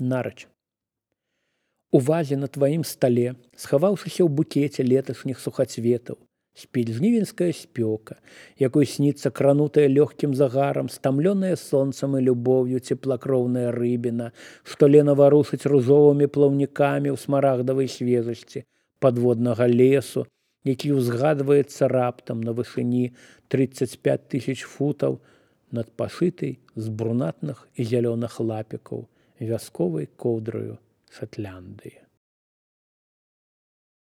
Нарач. У вазе на тваім стале, схаваўшыся ў букеце леташніх сухацветаў, спіць жнівеньская спёка, якой сніцца кранутая лёгкім загарам, стамлёная сонцам і любоўю цеплакроўная рыбіна, што лена варушыць ружовымі плаўнікамі ў смарагдавай свежасці падводнага лесу, які ўзгадваецца раптам на вышыні 35 000 футаў над пашытай з брунатных і зялёных лапікаў вясковай коўдраю Шатландыі.